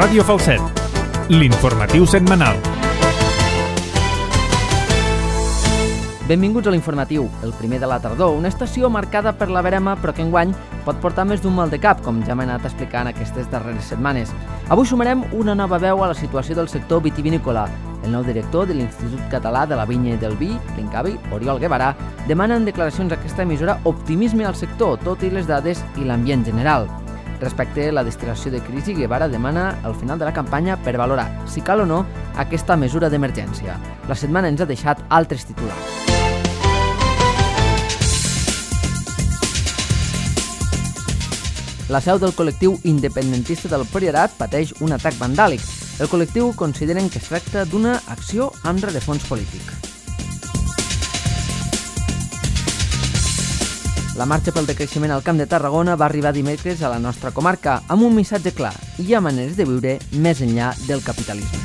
Ràdio Falset, l'informatiu setmanal. Benvinguts a l'informatiu, el primer de la tardor, una estació marcada per la verema però que enguany pot portar més d'un mal de cap, com ja m'he anat explicant aquestes darreres setmanes. Avui sumarem una nova veu a la situació del sector vitivinícola. El nou director de l'Institut Català de la Vinya i del Vi, l'INCAVI, Oriol Guevara, demana en declaracions a aquesta emissora optimisme al sector, tot i les dades i l'ambient general. Respecte a la destil·lació de crisi, Guevara demana al final de la campanya per valorar, si cal o no, aquesta mesura d'emergència. La setmana ens ha deixat altres titulars. La seu del col·lectiu independentista del Priorat pateix un atac vandàlic. El col·lectiu consideren que es tracta d'una acció amb rerefons polític. La marxa pel decreixement al Camp de Tarragona va arribar dimecres a la nostra comarca amb un missatge clar: hi ha maneres de viure més enllà del capitalisme.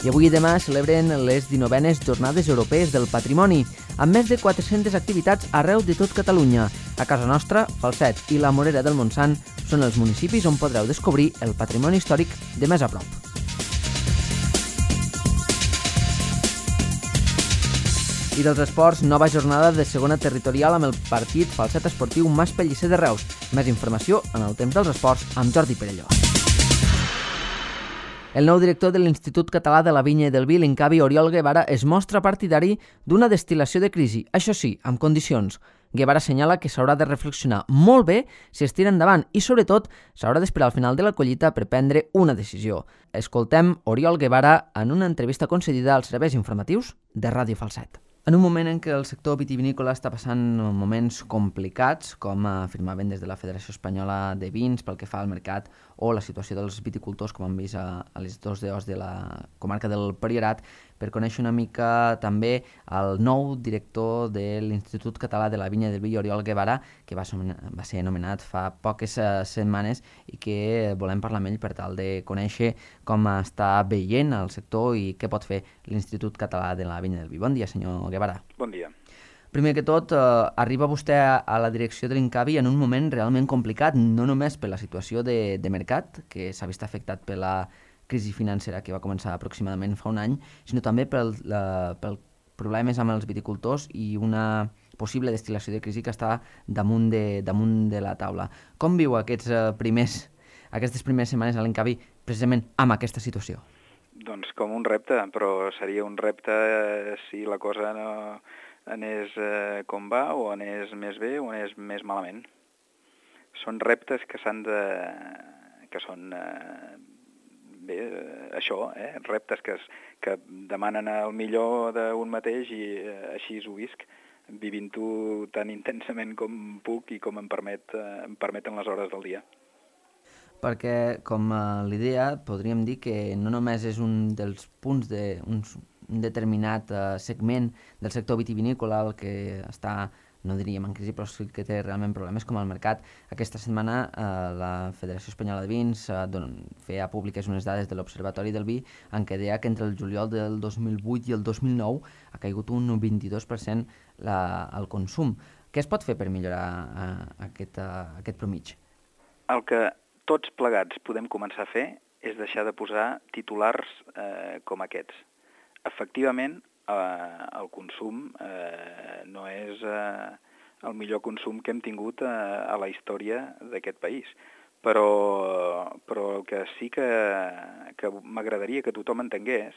I avui i demà celebren les 19enes Jornades Europees del Patrimoni, amb més de 400 activitats arreu de tot Catalunya. A casa nostra, Falset i la Morera del Montsant són els municipis on podreu descobrir el patrimoni històric de més a prop. I dels esports, nova jornada de segona territorial amb el partit Falset Esportiu Mas Pellicer de Reus. Més informació en el temps dels esports amb Jordi Perelló. El nou director de l'Institut Català de la Vinya i del Vi, l'INCAVI, Oriol Guevara, es mostra partidari d'una destil·lació de crisi, això sí, amb condicions. Guevara assenyala que s'haurà de reflexionar molt bé si es tira endavant i, sobretot, s'haurà d'esperar al final de la collita per prendre una decisió. Escoltem Oriol Guevara en una entrevista concedida als serveis informatius de Ràdio Falset. En un moment en què el sector vitivinícola està passant moments complicats, com afirmaven des de la Federació Espanyola de Vins pel que fa al mercat, o la situació dels viticultors, com hem vist a les 2 DOs de la comarca del Priorat, per conèixer una mica també el nou director de l'Institut Català de la Vinya i del Vi, Oriol Guevara, que va ser anomenat fa poques setmanes i que volem parlar amb ell per tal de conèixer com està veient el sector i què pot fer l'Institut Català de la Vinya i del Vi. Bon dia, senyor Guevara. Bon dia. Primer que tot, arriba vostè a la direcció de l'INCAVI en un moment realment complicat, no només per la situació de mercat, que s'ha vist afectat per la crisi financera que va començar aproximadament fa un any, sinó també pel problemes amb els viticultors i una possible destil·lació de crisi que està damunt de la taula. Com viu aquestes primeres setmanes a l'INCAVI precisament amb aquesta situació? Doncs com un repte, però seria un repte si la cosa no anés com va, o anés més bé, o anés més malament. Són reptes que són reptes que demanen el millor d'un mateix i així ho visc, vivint-ho tan intensament com puc i com em permeten les hores del dia. Perquè, com l'idea, podríem dir que no només és un dels punts d'un determinat segment del sector vitivinícola el que està, no diríem en crisi, però sí que té realment problemes com el mercat. Aquesta setmana la Federació Espanyola de Vins feia públiques unes dades de l'Observatori del Vi en què deia que entre el juliol del 2008 i el 2009 ha caigut un 22% el consum. Què es pot fer per millorar aquest promig? El que tots plegats podem començar a fer és deixar de posar titulars com aquests. Efectivament, el consum no és el millor consum que hem tingut a la història d'aquest país, però el que sí que m'agradaria que tothom entengués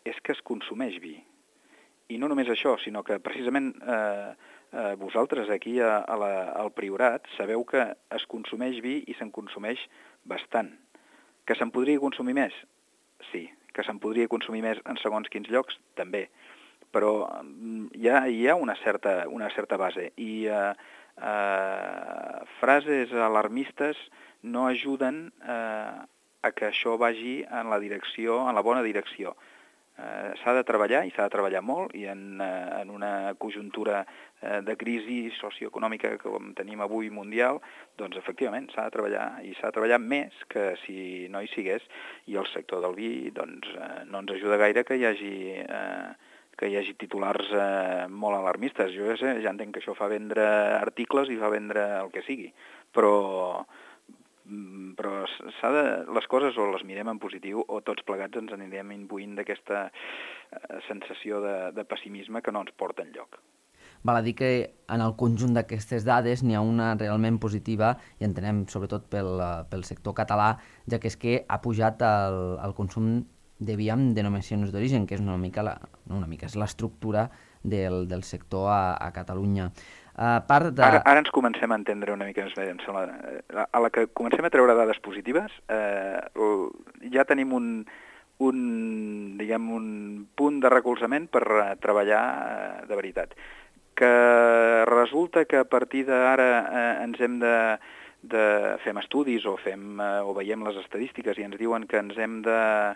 és que es consumeix vi. I no només això, sinó que precisament vosaltres aquí al Priorat sabeu que es consumeix vi i se'n consumeix bastant. Que se'n podria consumir més? Sí. Que se'n podria consumir més en segons quins llocs? També. Però hi ha una certa base i frases alarmistes no ajuden a que això vagi en la bona direcció. S'ha de treballar, i s'ha de treballar molt, i en una conjuntura de crisi socioeconòmica com tenim avui mundial, doncs efectivament s'ha de treballar, i s'ha de treballar més que si no hi sigués, i el sector del vi doncs, no ens ajuda gaire que hi hagi titulars molt alarmistes. Jo ja entenc que això fa vendre articles i fa vendre el que sigui, però però les coses o les mirem en positiu o tots plegats ens anirem imbuint d'aquesta sensació de pessimisme que no ens porta enlloc. Val a dir que en el conjunt d'aquestes dades n'hi ha una realment positiva i entenem sobretot pel sector català, ja que és que ha pujat el consum de vi amb denominacions d'origen, que és és l'estructura del sector a Catalunya. Ara ens comencem a entendre una mica més, em sembla. A la que comencem a treure dades positives, ja tenim un punt de recolzament per treballar de veritat. Que resulta que a partir d'ara ens hem fem estudis o veiem les estadístiques i ens diuen que ens hem de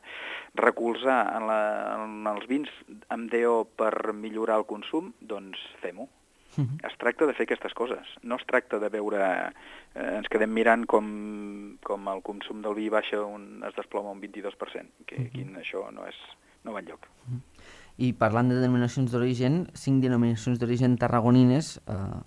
recolzar en els vins amb DO per millorar el consum, doncs fem-ho. Es tracta de fer aquestes coses. No es tracta de veure... ens quedem mirant com el consum del vi baixa, es desploma un 22%, que aquí això no va enlloc. I parlant de denominacions d'origen, 5 denominacions d'origen tarragonines,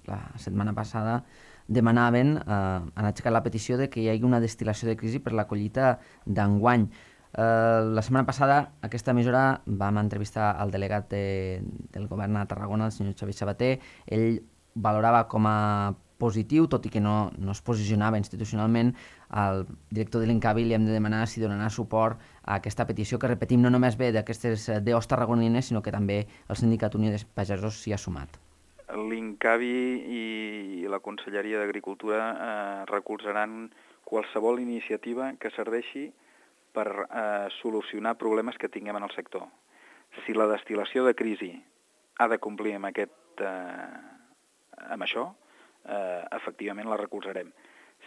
la setmana passada demanaven, han aixecat la petició de que hi hagi una destil·lació de crisi per la collita d'enguany. La setmana passada, aquesta emissora, vam entrevistar el delegat del govern a Tarragona, el senyor Xavier Sabater. Ell valorava com a positiu, tot i que no es posicionava institucionalment. Al director de l'Incavi li hem de demanar si donarà suport a aquesta petició, que repetim, no només ve d'aquestes DOs tarragonines, sinó que també el Sindicat Unió de Pagesos s'hi ha sumat. L'Incavi i la Conselleria d'Agricultura recolzaran qualsevol iniciativa que serveixi per solucionar problemes que tinguem en el sector. Si la destil·lació de crisi ha de complir amb això, efectivament la recolzarem.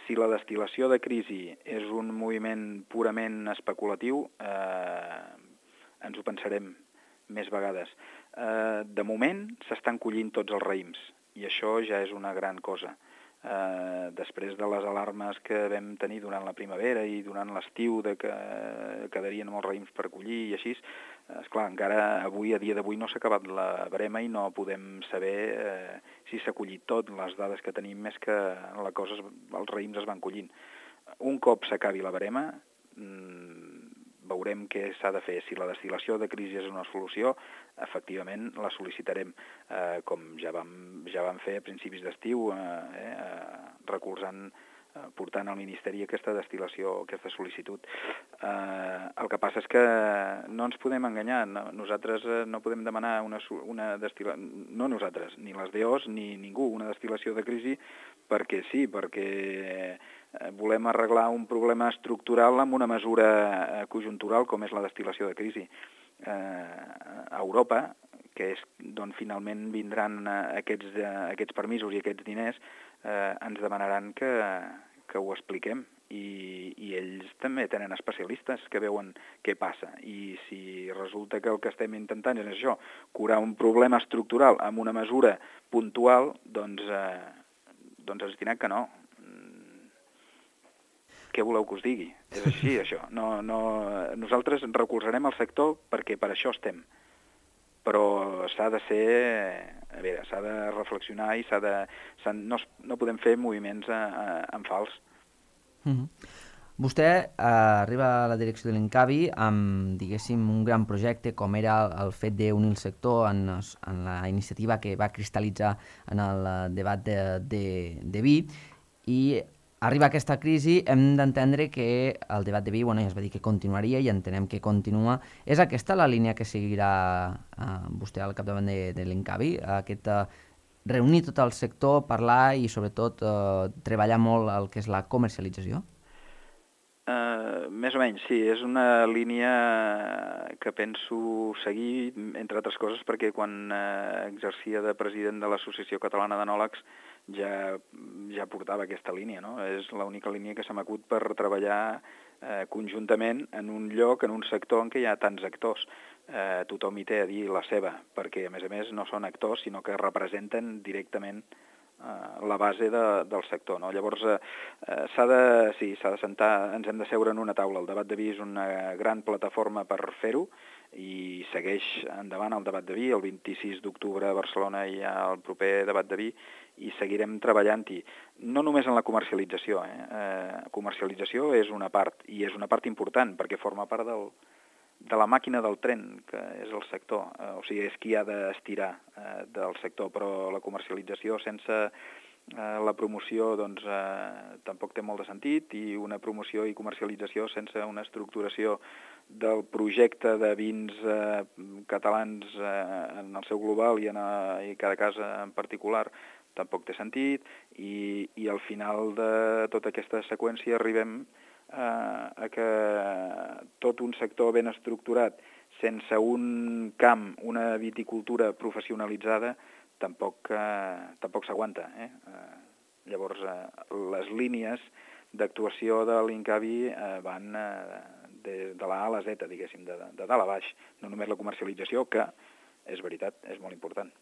Si la destil·lació de crisi és un moviment purament especulatiu, ens ho pensarem més vegades. De moment s'estan collint tots els raïms i això ja és una gran cosa. Després de les alarmes que vam tenir durant la primavera i durant l'estiu de que quedarien molts raïms per collir i així, esclar, encara avui, a dia d'avui, no s'ha acabat la verema i no podem saber si s'ha collit tot. Les dades que tenim és que els raïms es van collint. Un cop s'acabi la verema, veurem què s'ha de fer. Si la destil·lació de crisi és una solució, efectivament la sol·licitarem, com ja vam fer a principis d'estiu, portant al Ministeri aquesta destil·lació, aquesta sol·licitud. El que passa és que no ens podem enganyar. Nosaltres no podem demanar una destil·lació, no nosaltres, ni les DOs, ni ningú, una destil·lació de crisi perquè sí, perquè volem arreglar un problema estructural amb una mesura conjuntural com és la destil·lació de crisi. A Europa, que és d'on finalment vindran aquests permisos i aquests diners, ens demanaran que ho expliquem i ells també tenen especialistes que veuen què passa i si resulta que el que estem intentant és això, curar un problema estructural amb una mesura puntual, doncs ens diran que no. Què voleu que us digui? És així, això. Nosaltres recolzarem el sector perquè per això estem. Però s'ha de s'ha de reflexionar i no podem fer moviments en fals. Vostè arriba a la direcció de l'Incavi amb, diguéssim, un gran projecte com era el fet d'unir el sector en la iniciativa que va cristal·litzar en el debat de vi i arriba aquesta crisi, hem d'entendre que el debat de vi, ja es va dir que continuaria i entenem que continua. És aquesta la línia que seguirà vostè al capdavant de l'Incavi? Reunir tot el sector, parlar i sobretot treballar molt el que és la comercialització? Més o menys, sí. És una línia que penso seguir, entre altres coses, perquè quan exercia de president de l'Associació Catalana d'Enòlegs ja portava aquesta línia, no? És l'única línia que se m'acut per treballar conjuntament en un lloc, en un sector en què hi ha tants actors. Tothom hi té a dir la seva, perquè a més no són actors, sinó que representen directament la base del sector, no? Llavors s'ha de sentar, ens hem de seure en una taula. El debat de vi és una gran plataforma per fer-ho i segueix endavant el debat de vi. El 26 d'octubre a Barcelona hi ha el proper debat de vi i seguirem treballant-hi. No només en la comercialització. Comercialització és una part, i és una part important, perquè forma part de la màquina del tren, que és el sector. O sigui, és qui ha d'estirar del sector, però la comercialització sense la promoció doncs, tampoc té molt de sentit, i una promoció i comercialització sense una estructuració del projecte de vins catalans en el seu global i cada casa en particular tampoc té sentit, i al final de tota aquesta seqüència arribem a que tot un sector ben estructurat, sense un camp, una viticultura professionalitzada, tampoc s'aguanta. Llavors, les línies d'actuació de l'Incavi van de la A a la Z, diguéssim, de dalt a baix. No només la comercialització, que, és veritat, és molt important.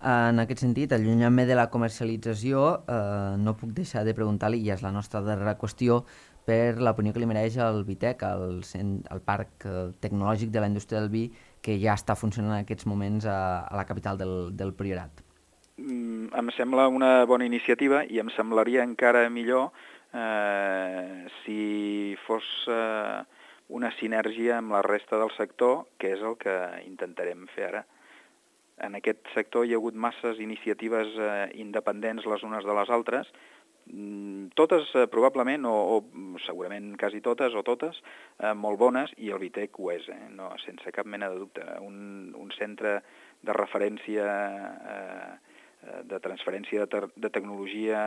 En aquest sentit, allunyant-me de la comercialització, no puc deixar de preguntar-li, i és la nostra darrera qüestió, per l'opinió que li mereix el Vitec, el Parc Tecnològic de la Indústria del Vi, que ja està funcionant en aquests moments a la capital del Priorat. Em sembla una bona iniciativa, i em semblaria encara millor si fos una sinergia amb la resta del sector, que és el que intentarem fer ara. En aquest sector hi ha hagut masses iniciatives independents les unes de les altres, totes probablement, o segurament quasi totes o totes, molt bones, i el Vitec ho és, no, sense cap mena de dubte. Un centre de referència, de transferència de tecnologia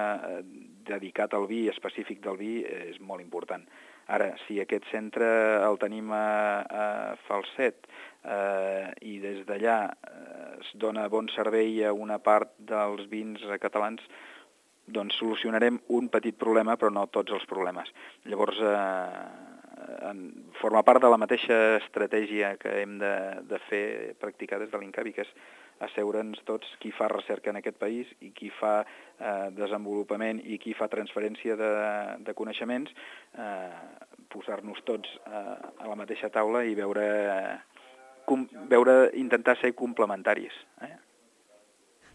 dedicat al vi, específic del vi, és molt important. Ara, si aquest centre el tenim a Falset i des d'allà es dona bon servei a una part dels vins catalans, doncs solucionarem un petit problema, però no tots els problemes. Llavors, forma part de la mateixa estratègia que hem de fer, practicar des de l'Incavi, que és asseure'ns tots qui fa recerca en aquest país i qui fa desenvolupament i qui fa transferència de coneixements, posar-nos tots a la mateixa taula i intentar ser complementaris.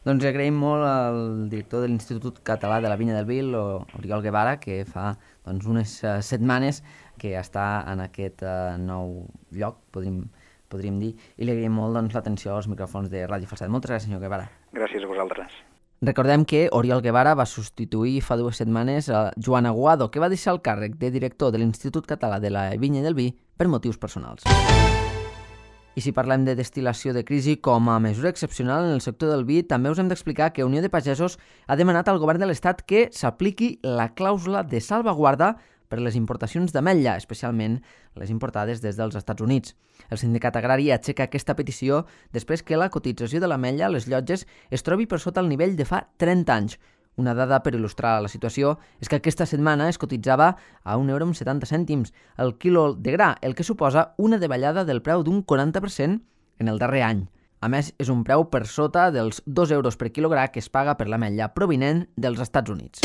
Doncs agraïm molt al director de l'Institut Català de la Vinya del Vi, Oriol Guevara, que fa unes setmanes que està en aquest nou lloc, podríem dir, i li agraïm molt l'atenció als micròfons de Ràdio Falset. Moltes gràcies, senyor Guevara. Gràcies a vosaltres. Recordem que Oriol Guevara va substituir fa 2 setmanes a Joan Aguado, que va deixar el càrrec de director de l'Institut Català de la Vinya i del Vi per motius personals. I si parlem de destil·lació de crisi com a mesura excepcional en el sector del vi, també us hem d'explicar que Unió de Pagesos ha demanat al govern de l'Estat que s'apliqui la clàusula de salvaguarda per les importacions d'ametlla, especialment les importades des dels Estats Units. El sindicat agrari aixeca aquesta petició després que la cotització de l'ametlla a les llotges es trobi per sota el nivell de fa 30 anys. Una dada per il·lustrar la situació és que aquesta setmana es cotitzava a €1,70 el quilo de gra, el que suposa una davallada del preu d'un 40% en el darrer any. A més, és un preu per sota dels €2 per quilogram que es paga per l'ametlla provinent dels Estats Units.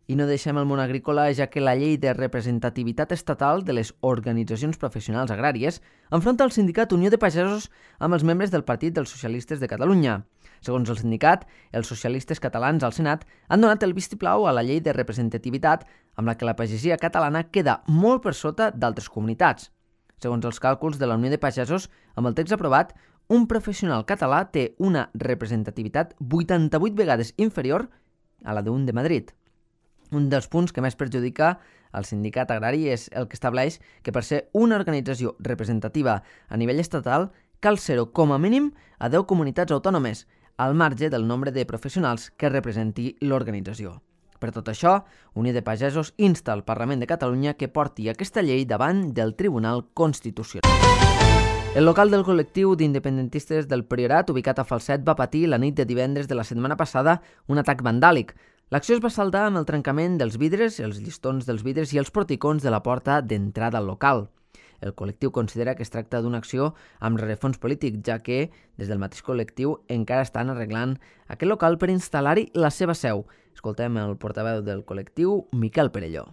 I no deixem el món agrícola, ja que la llei de representativitat estatal de les organitzacions professionals agràries enfronta el sindicat Unió de Pagesos amb els membres del Partit dels Socialistes de Catalunya. Segons el sindicat, els socialistes catalans al Senat han donat el vistiplau a la llei de representativitat amb la que la pagesia catalana queda molt per sota d'altres comunitats. Segons els càlculs de la Unió de Pagesos, amb el text aprovat, un professional català té una representativitat 88 vegades inferior a la d'un de Madrid. Un dels punts que més perjudica el sindicat agrari és el que estableix que per ser una organització representativa a nivell estatal cal ser-ho com a mínim a 10 comunitats autònomes, al marge del nombre de professionals que representi l'organització. Per tot això, Unió de Pagesos insta al Parlament de Catalunya que porti aquesta llei davant del Tribunal Constitucional. El local del col·lectiu d'independentistes del Priorat, ubicat a Falset, va patir la nit de divendres de la setmana passada un atac vandàlic. L'acció es va saldar amb el trencament dels vidres, els llistons dels vidres i els porticons de la porta d'entrada al local. El col·lectiu considera que es tracta d'una acció amb rerefons polític, ja que, des del mateix col·lectiu, encara estan arreglant aquest local per instal·lar-hi la seva seu. Escoltem el portaveu del col·lectiu, Miquel Perelló.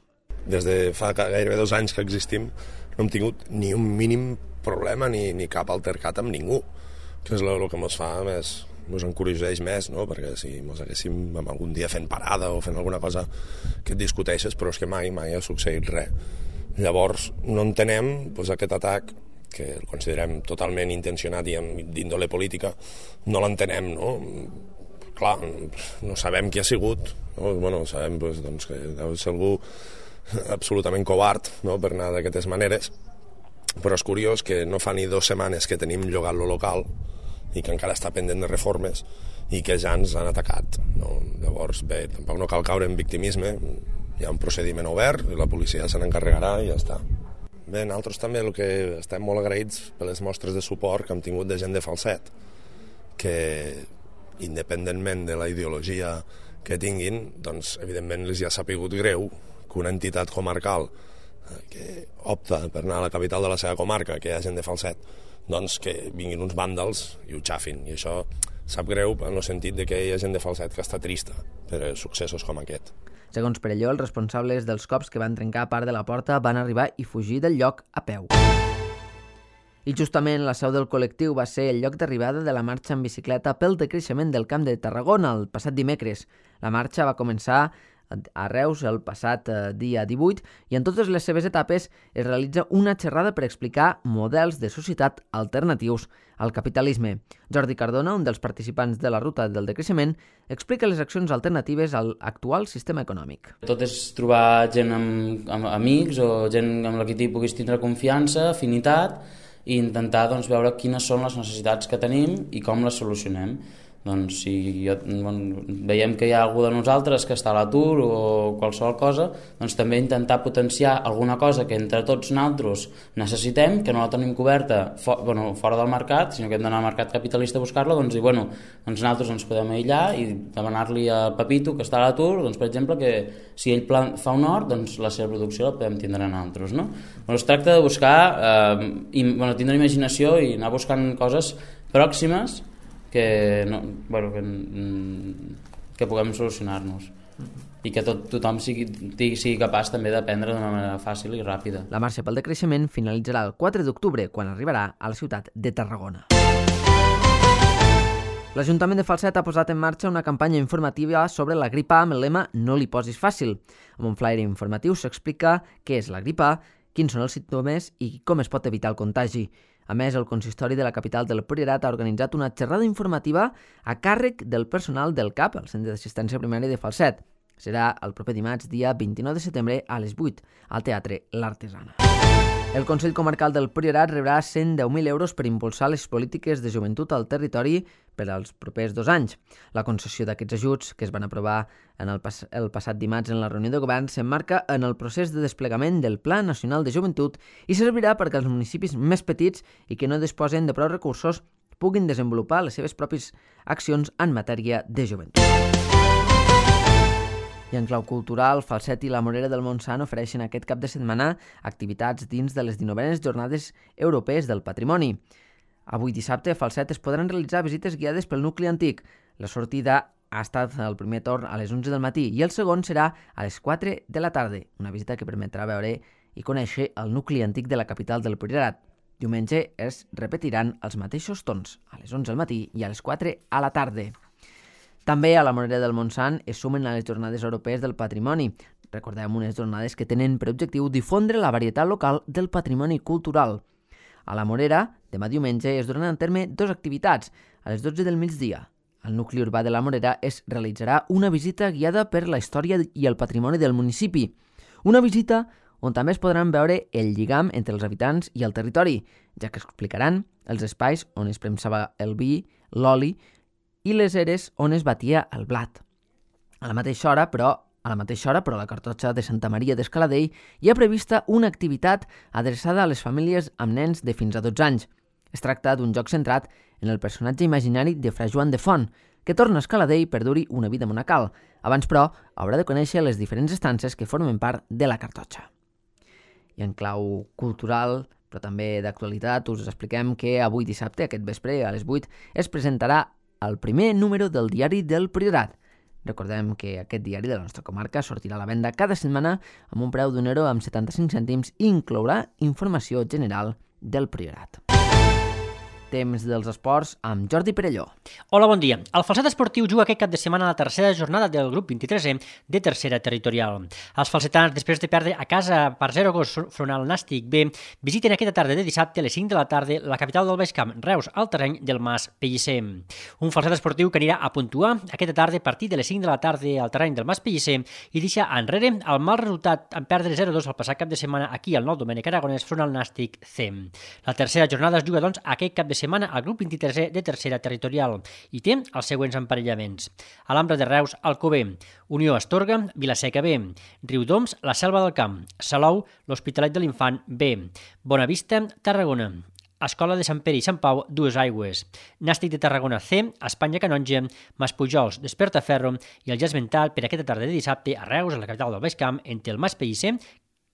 des de fa gairebé 2 anys que existim, no hem tingut ni un mínim problema ni cap altercat amb ningú, que és el que ens fa més, ens encoratgeix més, no? Perquè si ens haguéssim algun dia fent parada o fent alguna cosa que et discuteixes, però és que mai ha succeït res. Llavors no entenem aquest atac, que el considerem totalment intencionat i d'índole política, no l'entenem, no? Clar, no sabem qui ha sigut, no? Bueno, sabem doncs, que deu ser algú absolutament covard, no? Per anar d'aquestes maneres, però és curiós que no fa ni 2 setmanes que tenim llogat lo local i que encara està pendent de reformes i que ja ens han atacat, no? Llavors, bé, tampoc no cal caure en victimisme, hi ha un procediment obert i la policia se n'encarregarà i ja està. Bé, nosaltres també el que estem molt agraïts per les mostres de suport que hem tingut de gent de Falset, que independentment de la ideologia que tinguin, doncs evidentment els ha sapigut greu que una entitat comarcal que opta per anar a la capital de la seva comarca, que hi ha gent de Falset, doncs que vinguin uns vàndals i ho xafin, i això sap greu en el sentit de que hi ha gent de Falset que està trista per successos com aquest. Segons Perelló, els responsables dels cops que van trencar part de la porta van arribar i fugir del lloc a peu. I justament la seu del col·lectiu va ser el lloc d'arribada de la marxa en bicicleta pel decreixement del Camp de Tarragona el passat dimecres. La marxa va començar a Reus el passat dia 18 i en totes les seves etapes es realitza una xerrada per explicar models de societat alternatius al capitalisme. Jordi Cardona, un dels participants de la ruta del decreixement, explica les accions alternatives al actual sistema econòmic. Tot és trobar gent amb amics o gent amb la que hi puguis tindre confiança, afinitat, i intentar veure quines són les necessitats que tenim i com les solucionem. Doncs si veiem que hi ha algú de nosaltres que està a l'atur o qualsevol cosa, doncs també intentar potenciar alguna cosa que entre tots nosaltres necessitem, que no la tenim coberta fora del mercat, sinó que hem d'anar al mercat capitalista a buscar-la, doncs nosaltres ens podem aïllar i demanar-li a Pepito, que està a l'atur, doncs, per exemple, que si ell fa un hort, doncs la seva producció la podem tindre nosaltres, no? Es tracta de buscar, tindre imaginació i anar buscant coses pròximes que puguem solucionar-nos i que tothom sigui capaç també d'aprendre d'una manera fàcil i ràpida. La marxa pel decreixement finalitzarà el 4 d'octubre, quan arribarà a la ciutat de Tarragona. L'Ajuntament de Falset ha posat en marxa una campanya informativa sobre la grip A amb el lema «No li posis fàcil». Amb un flyer informatiu s'explica què és la grip A, quins són els símptomes i com es pot evitar el contagi. A més, el consistori de la capital del Priorat ha organitzat una xerrada informativa a càrrec del personal del CAP, el Centre d'Assistència Primària de Falset. Serà el proper dimarts, dia 29 de setembre, a les 8, al Teatre L'Artesana. El Consell Comarcal del Priorat rebrà 110.000 euros per impulsar les polítiques de joventut al territori per als propers 2 anys. La concessió d'aquests ajuts, que es van aprovar el passat dimarts en la reunió de govern, s'emmarca en el procés de desplegament del Pla Nacional de Joventut i servirà perquè els municipis més petits i que no disposen de prou recursos puguin desenvolupar les seves pròpies accions en matèria de joventut. I en clau cultural, Falset i la Morera del Montsant ofereixen aquest cap de setmana activitats dins de les 19enes Jornades Europees del Patrimoni. Avui dissabte a Falset es podran realitzar visites guiades pel nucli antic. La sortida ha estat el primer torn a les 11 del matí i el segon serà a les 4 de la tarda, una visita que permetrà veure i conèixer el nucli antic de la capital del Priorat. Diumenge es repetiran els mateixos torns, a les 11 del matí i a les 4 a la tarda. També a la Morera del Montsant es sumen a les Jornades Europees del Patrimoni. Recordem unes jornades que tenen per objectiu difondre la varietat local del patrimoni cultural. A la Morera, demà diumenge, es duran a terme 2 activitats. A les 12 del migdia, al nucli urbà de la Morera es realitzarà una visita guiada per la història i el patrimoni del municipi. Una visita on també es podran veure el lligam entre els habitants i el territori, ja que explicaran els espais on es premsava el vi, l'oli i les eres on es batia el blat. A la mateixa hora, però, a la Cartotxa de Santa Maria d'Escaladell hi ha prevista una activitat adreçada a les famílies amb nens de fins a 12 anys. Es tracta d'un joc centrat en el personatge imaginari de Fra Joan de Font, que torna a Escaladell per dur-hi una vida monacal. Abans, però, haurà de conèixer les diferents estances que formen part de la Cartotxa. I en clau cultural, però també d'actualitat, us expliquem que avui dissabte, aquest vespre, a les 8, es presentarà el primer número del Diari del Priorat. Recordem que aquest diari de la nostra comarca sortirà a la venda cada setmana amb un preu d'un euro amb 75 cèntims i inclourà informació general del Priorat. Temps dels esports amb Jordi Perelló. Hola, bon dia. El Falset Esportiu juga aquest cap de setmana a la tercera jornada del grup 23è de tercera territorial. Els falsetans, després de perdre a casa per 0 gols front al Nàstic B, visiten aquesta tarda de dissabte a les 5 de la tarda la capital del Baix Camp, Reus, al terreny del Mas Pellicer. Un Falset Esportiu que anirà a puntuar aquesta tarda a partir de les 5 de la tarda al terreny del Mas Pellicer i deixa enrere el mal resultat en perdre 0-2 el passat cap de setmana aquí al Nou Domènec Aragonès front al Nàstic C. La tercera jornada es juga, doncs, aquest cap de setmana al grup 23è de tercera territorial i té els següents emparellaments. Alhambra de Reus, Alcover, Unió Astorga, Vilaseca B, Riudoms, la Selva del Camp, Salou, l'Hospitalet de l'Infant B, Bonavista, Tarragona, Escola de Sant Pere i Sant Pau, Dues Aigües, Nàstic de Tarragona C, Espanya Canonja, Maspujols, Despertaferro i el ja esmentat per aquesta tarda de dissabte a Reus, a la capital del Baix Camp, entre el Mas Pellicer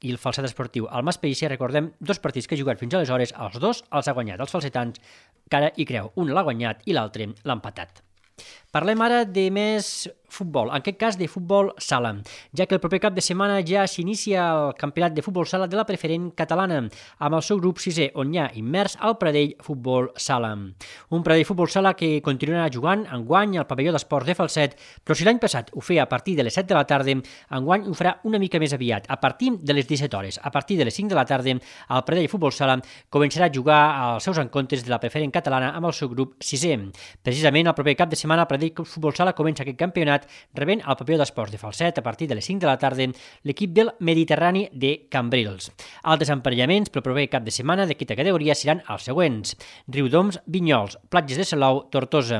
i el Falset Esportiu. Al Mas Pellicer, recordem, 2 partits que ha jugat fins aleshores, els 2 els ha guanyat els falsetans, cara i creu. Un l'ha guanyat i l'altre l'ha empatat. Parlem ara de més futbol, en aquest cas de futbol sala, ja que el proper cap de setmana ja s'inicia el campionat de futbol sala de la preferent catalana, amb el seu grup 6è, on hi ha immers el Pradell Futbol Sala. Un Pradell Futbol Sala que continuarà jugant enguany al pavelló d'esports de Falset, però si l'any passat ho feia a partir de les 7 de la tarda, enguany ho farà una mica més aviat, a partir de les 17 hores. A partir de les 5 de la tarda, el Pradell Futbol Sala començarà a jugar els seus encontres de la preferent catalana amb el seu grup 6è. Precisament el proper cap de setmana el Pradell Futbol Sala comença aquest campionat rebent al pavelló d'esports de Falset a partir de les 5 de la tarda l'equip del Mediterrani de Cambrils. Altres emparellaments pel proper cap de setmana d'aquesta categoria seran els següents: Riudoms, Vinyols, Platges de Salou, Tortosa,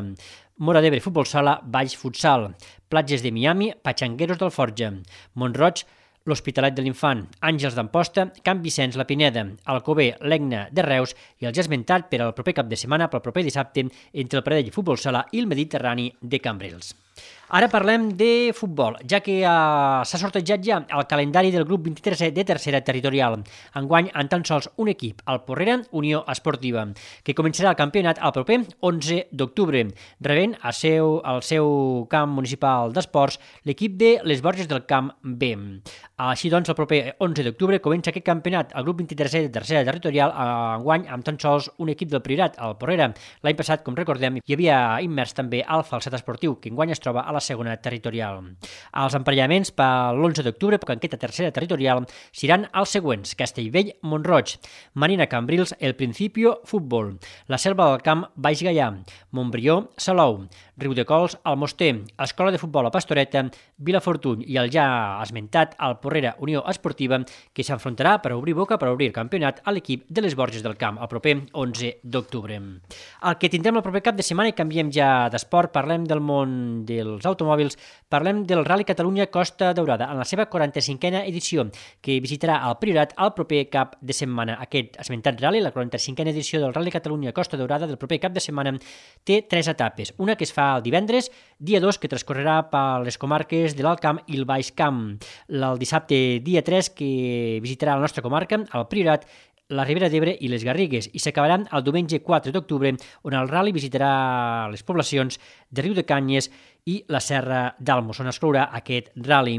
Móra d'Ebre Futbol Sala, Valls Futsal, Platges de Miami, Patxangueros d'Alforja, Montroig, l'Hospitalet de l'Infant, Àngels d'Amposta, Can Vicenç, la Pineda, Alcover, l'Egna de Reus i el ja esmentat per al proper cap de setmana, pel proper dissabte, entre el Pradell Futbol Sala i el Mediterrani de Cambrils. Ara parlem de futbol, ja que s'ha sortejat ja el calendari del grup 23è de tercera territorial. Enguany, en tan sols un equip, el Porrera Unió Esportiva, que començarà el campionat el proper 11 d'octubre, rebent al seu camp municipal d'esports l'equip de les Borges del Camp B. Així doncs, el proper 11 d'octubre comença aquest campionat, el grup 23è de tercera territorial, enguany amb tan sols un equip del Priorat, el Porrera. L'any passat, com recordem, hi havia immers també el Falset Esportiu, que enguany es troba a la segona territorial. Els emparellaments per l'11 d'octubre, perquè en aquesta tercera territorial, seran els següents: Castellvell, Montroig, Marina Cambrils, El Principio, Futbol, la Selva del Camp, Baix Gaià, Montbrió, Salou, Riudecols, Almoster, Escola de Futbol a Pastoreta, Vilafortuny i el ja esmentat el Porrera Unió Esportiva, que s'enfrontarà per obrir boca, per obrir campionat a l'equip de les Borges del Camp el proper 11 d'octubre. El que tindrem el proper cap de setmana, i canviem ja d'esport, parlem del món dels automòbils, parlem del Rally Catalunya Costa Daurada, en la seva 45a edició, que visitarà el Priorat el proper cap de setmana. Aquest esmentat rally, la 45a edició del Rally Catalunya Costa Daurada del proper cap de setmana, té 3 etapes. Una que es fa el divendres, dia 2, que transcorrerà per les comarques de l'Alt Camp i el Baix Camp. El dissabte, dia 3, que visitarà la nostra comarca, el Priorat, la Ribera d'Ebre i les Garrigues, i s'acabaran el diumenge 4 d'octubre, on el rally visitarà les poblacions de Riudecanyes i la Serra d'Almos, on es clourà aquest rally.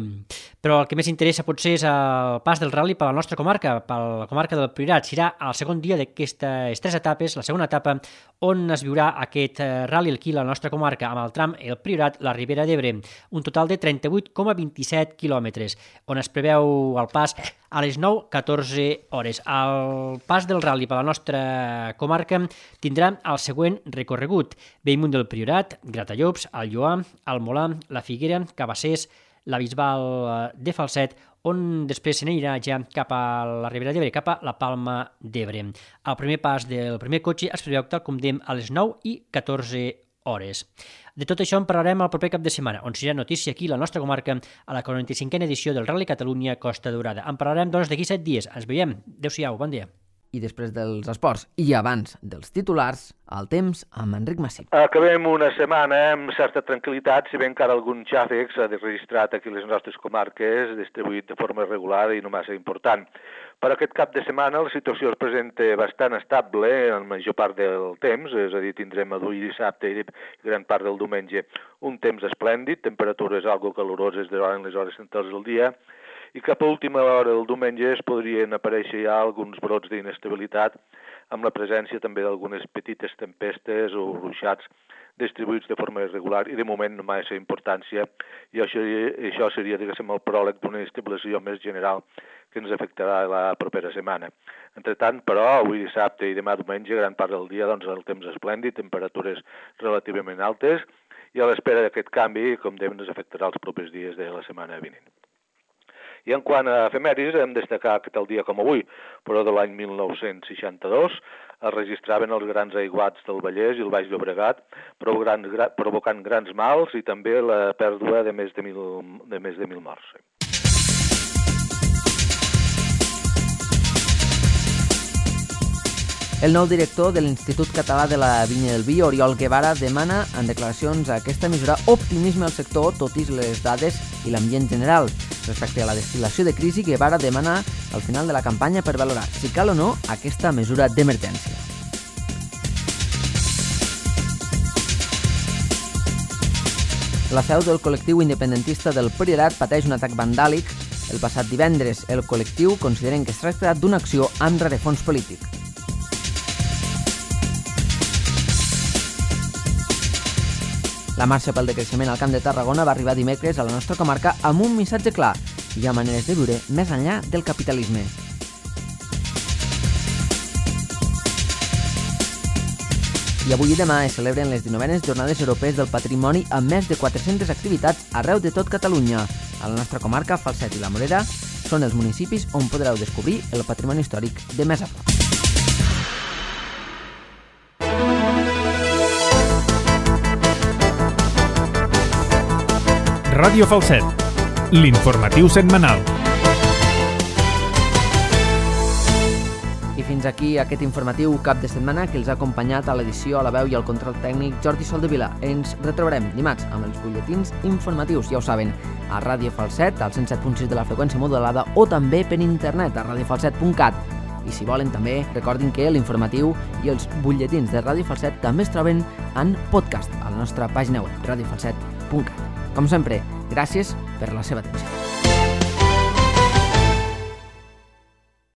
Però el que més interessa potser és el pas del rally per la nostra comarca, per la comarca del Priorat. Serà el segon dia d'aquestes 3 etapes, la segona etapa, on es viurà aquest rally aquí a la nostra comarca, amb el tram El Priorat, la Ribera d'Ebre, un total de 38,27 quilòmetres, on es preveu el pas a les 9:14 hores. El pas del rally per la nostra comarca tindrà el següent recorregut: Bellmunt del Priorat, Gratallops, el Lloar, el Molar, la Figuera, Cabassers, la Bisbal de Falset, on després se n'anirà ja cap a la Ribera d'Ebre, cap a la Palma d'Ebre. El primer pas del primer cotxe es preveu, tal com dèiem, a les 9:14 hores. De tot això en parlarem el proper cap de setmana, on serà notícia aquí a la nostra comarca a la 45a edició del Rally Catalunya Costa Daurada. En parlarem, doncs, d'aquí 7 dies. Ens veiem. Adéu-siau, bon dia. I després dels esports i abans dels titulars, el temps amb Enric Massip. Acabem una setmana amb certa tranquil·litat, si bé encara algun xàfec s'ha registrat aquí a les nostres comarques, distribuït de forma regular i no massa important. Per aquest cap de setmana la situació es presenta bastant estable en la major part del temps, és a dir, tindrem avui dissabte i gran part del diumenge un temps esplèndid, temperatures algo caloroses durant les hores centrals del dia, i cap a última hora del diumenge es podrien aparèixer ja alguns brots d'inestabilitat amb la presència també d'algunes petites tempestes o ruixats distribuïts de forma irregular i de moment no massa importància, i això seria, diguéssim, el pròleg d'una estabilització més general que ens afectarà la propera setmana. Entretant, però, avui dissabte i demà diumenge, gran part del dia, doncs, el temps esplèndid, temperatures relativament altes, i a l'espera d'aquest canvi, com dèiem, ens afectarà els propers dies de la setmana vinent. I en quant a efemèrides, hem destacar que tal dia com avui, però de l'any 1962, es registraven els grans aiguats del Vallès i el Baix Llobregat, provocant grans mals i també la pèrdua de més de 1.000 morts. El nou director de l'Institut Català de la Vinya del Vi, Oriol Guevara, demana en declaracions a aquesta mesura optimisme al sector, tot i les dades i l'ambient general. Respecte a la destil·lació de crisi, Guevara demana al final de la campanya per valorar si cal o no aquesta mesura d'emergència. La seu del col·lectiu independentista del Priorat pateix un atac vandàlic el passat divendres. El col·lectiu consideren que es tracta d'una acció amb rerefons polític. La marxa pel decreixement al Camp de Tarragona va arribar dimecres a la nostra comarca amb un missatge clar: hi ha maneres de viure més enllà del capitalisme. I avui i demà es celebren les 19enes Jornades Europees del Patrimoni amb més de 400 activitats arreu de tot Catalunya. A la nostra comarca, Falset i la Morera són els municipis on podreu descobrir el patrimoni històric de més a prop. Ràdio Falset, l'informatiu setmanal. I fins aquí aquest informatiu cap de setmana que els ha acompanyat a l'edició, a la veu i al control tècnic Jordi Soldevila. Ens retrobarem dimarts amb els butlletins informatius, ja ho saben, a Ràdio Falset, al 107.6 de la freqüència modulada o també per internet a radiofalset.cat. I si volen també, recordin que l'informatiu i els butlletins de Ràdio Falset també es troben en podcast a la nostra pàgina web, radiofalset.cat. Com sempre, gràcies per la seva atenció.